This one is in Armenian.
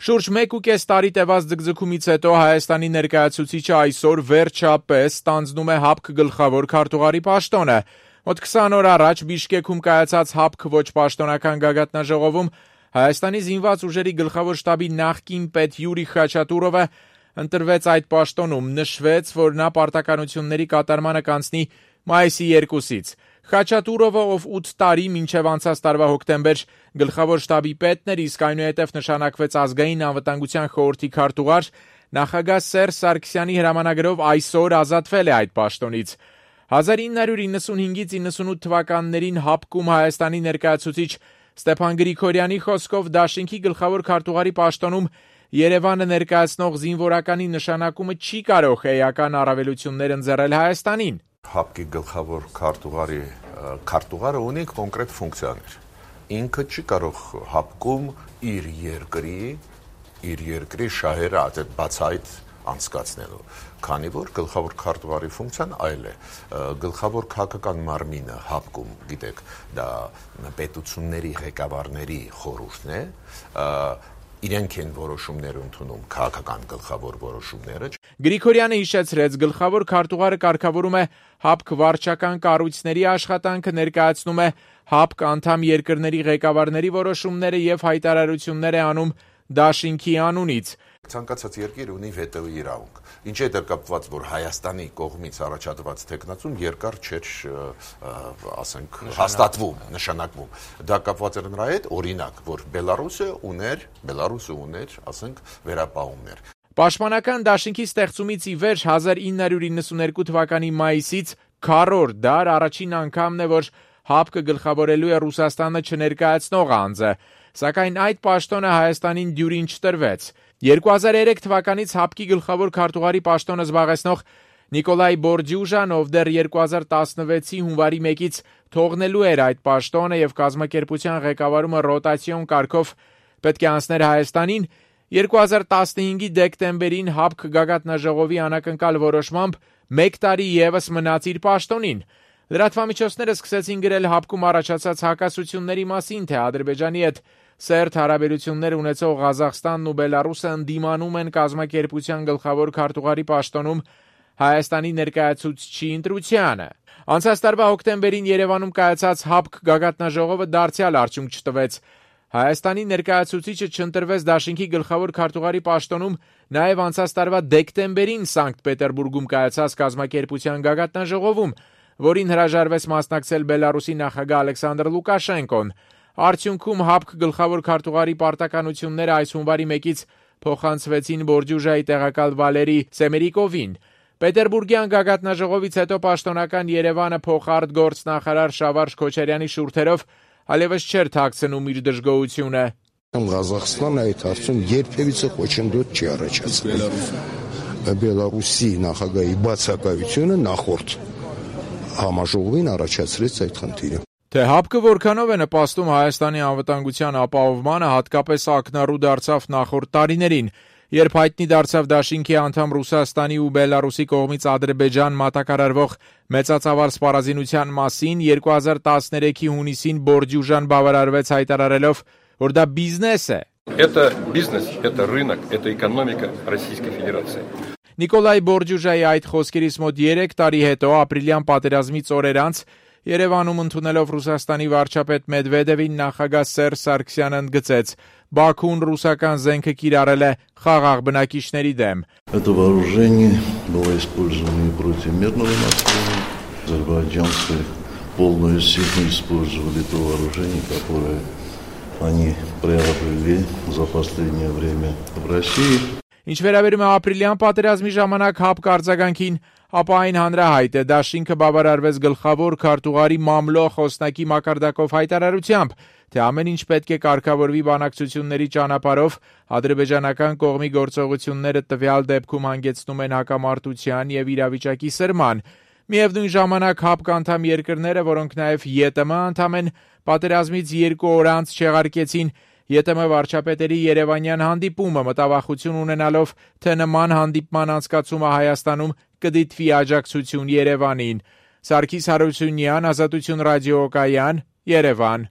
Շուրջ 1.5 տարի տևած ձգձգումից հետո Հայաստանի ներկայացուցիչը այսօր վերջապես ստանձնում է ՀԱՊԿ գլխավոր քարտուղարի պաշտոնը։ Մոտ 20 օր առաջ Բիշկեքում կայացած ՀԱՊԿ ոչ պաշտոնական գագաթնաժողովում Հայաստանի զինված ուժերի գլխավոր շտաբի նախկին պետ Յուրի Խաչատուրովը ընտրվեց այդ պաշտոնում, նշվեց, որ նա պարտականությունների կատարմանը կանցնի մայիսի 2-ից։ Խաչատուրովը, ով 8 տարի մինչև անցած տարվա հոկտեմբեր գլխավոր շտաբի պետն էր, իսկ այնուհետև նշանակվեց ազգային անվտանգության խորհրդի քարտուղար, նախագահ Սերժ Սարգսյանի հրամանագրով այսօր ազատվել է այդ պաշտոնից։ 1995-ից 98 թվականներին ՀԱՊԿ-ում Հայաստանի ներկայացուցիչ Ստեփան Գրիգորյանի խոսքով դաշինքի գլխավոր քարտուղարի պաշտոնում Երևանը ներկայացնող զինվորականի նշանակումը չի կարող էական առավելություններ ընձեռել Հայաստանին։ ՀԱՊԿ-ի գլխավոր քարտուղարը ունի կոնկրետ ֆունկցիաներ։ Ինքը չի կարող ՀԱՊԿ-ում իր երկրի շահերը բացահայտ անցկացնելու, քանի որ գլխավոր քարտուղարի ֆունկցիան այլ է։ Գլխավոր քաղաքական մարմինը ՀԱՊԿ-ում, գիտեք, դա պետությունների ղեկավարների խորհուրդն է, իրենք են որոշումներ ընդունում, քաղաքական գլխավոր որոշումները։ Գրիգորյանը հիշեցրեց, գլխավոր քարտուղարը կարգավորում է ՀԱՊԿ վարչական կառույցների աշխատանքը, ներկայացնում է ՀԱՊԿ անդամ երկրների ղեկավարների որոշումները եւ հայտարարություններ է անում դաշինքի անունից։ Ցանկացած երկիր ունի վետոյի իրավունք։ Ինչ է դա կապված, որ Հայաստանի կողմից առաջադրված թեկնածուն երկար չէր, ասենք, հաստատվում, նշանակվում։ Դա կապված էր նրա հետ, օրինակ, որ Բելարուսը ուներ, ասենք, վերապահումներ։ Պաշտպանական դաշինքի ստեղծումից ի վեր 1992 թվականի մայիսից քառորդ դար առաջին անգամն է, որ ՀԱՊԿ գլխավորելու է Ռուսաստանը չներկայացնող անձը, սակայն այդ պաշտոնը Հայաստանին դյուրին չտրվեց։ 2003 թվականից ՀԱՊԿ-ի գլխավոր քարտուղարի պաշտոնը զբաղեցնող Նիկոլայ Բորդյուժան, ով դեռ 2016-ի հունվարի 1-ից թողնելու էր այդ պաշտոնը եւ կազմակերպության ղեկավարումը ռոտացիոն կարգով պետք է անցներ Հայաստանին, 2015-ի դեկտեմբերին ՀԱՊԿ գագաթնաժողովի անակնկալ որոշմամբ 1 տարի եւս մնաց իր պաշտոնին։ Լրատվամիջոցները սկսեցին գրել ՀԱՊԿ-ում առաջացած հակասությունների մասին, թե Ադրբեջանի հետ սերտ հարաբերություններ ունեցող Ղազախստանն ու Բելարուսը ընդդիմանում են կազմակերպության գլխավոր քարտուղարի պաշտոնում Հայաստանի ներկայացուցչի ընտրությանը։ Անցած տարվա հոկտեմբերին Երևանում կայացած ՀԱՊԿ գագաթնաժողովը դարձյալ արդյունք չտվեց։ Հայաստանի ներկայացուցիչը չընտրվեց դաշինքի գլխավոր քարտուղարի պաշտոնում նաև անցած տարվա դեկտեմբերին Սանկտ Պետերբուրգում կայացած կազմակերպության գագաթնաժողովում, որին հրաժարվեց մասնակցել Բելարուսի նախագահ Ալեքսանդր Լուկաշենկոն։ Արդյունքում ՀԱՊԿ գլխավոր քարտուղարի պարտականությունները այս հունվարի 1-ից փոխանցվեցին Բորդյուժայի տեղակալ Վալերի Սեմերիկովին։ Պետերբուրգյան գագաթնաժողովից հետո պաշտոնական Երևանը փոխարտգործնախարար Շավարժ Քոչարյանի շուրթերով այլևս չէր թաքցնում իր դժգոհությունը։ Ղազախստանը այդ հարցում երբևիցե խոչընդոտ չի առաջացրել։ Բելարուսի նախագահի բացակայությունը նախորդ համաժողովին առաջացրեց այդ խնդիրը։ Թե ՀԱՊԿ որքանով է նպաստում Հայաստանի անվտանգության ապահովմանը, հատկապես ակնառու դարձավ նախորդ տարիներին, երբ հայտնի դարձավ դաշինքի անդամ Ռուսաստանի ու Բելարուսի կողմից Ադրբեջան մատակարարվող մեծածավալ սպառազինության մասին 2013-ի հունիսին Բորդյուժան բավարարվեց հայտարարելով, որ դա բիզնես է։ Это бизнес, это рынок, это экономика Российской Федерации. Նիկոլայ Բորդյուժայի այդ խոսքերից մոտ 3 տարի հետո ապրիլյան պատերազմից օրեր անց Երևանում ընդունելով Ռուսաստանի վարչապետ Մեդվեդևին նախագահ Սերժ Սարգսյանը ընդգծեց. Բաքուն ռուսական զենքը կիրառել է խաղաղ բնակիչների դեմ։ Это вооружение было использовано и против мирного населения. Азербайджанцы полную силу использовали то вооружение, которое они приобрели за последнее время в России. Ինչ վերաբերում է ապրիլյան պատերազմի ժամանակ ՀԱՊԿ արձագանքին, ապա այն հանրահայտ է, դաշինքը բավարարվեց գլխավոր քարտուղարի մամլո խոսնակի մակարդակով հայտարարությամբ, թե ամեն ինչ պետք է կարգավորվի բանակցությունների ճանապարհով, ադրբեջանական կողմի գործողությունները տվյալ դեպքում հանգեցնում են հակամարտության եւ իրավիճակի սրման։ Միևնույն ժամանակ ՀԱՊԿ անդամ երկրները, որոնք նաև ԵՏՄ անդամ են, պատերազմից 2 օր անց չեղարկեցին ԵՏՄ վարչապետերի երևանյան հանդիպումը, մտավախություն ունենալով, թե նման հանդիպման անցկացումը Հայաստանում կդիտվի աջակցություն Երևանին։ Սարգիս Հարությունյան, Ազատություն ռադիոկայան, Երևան։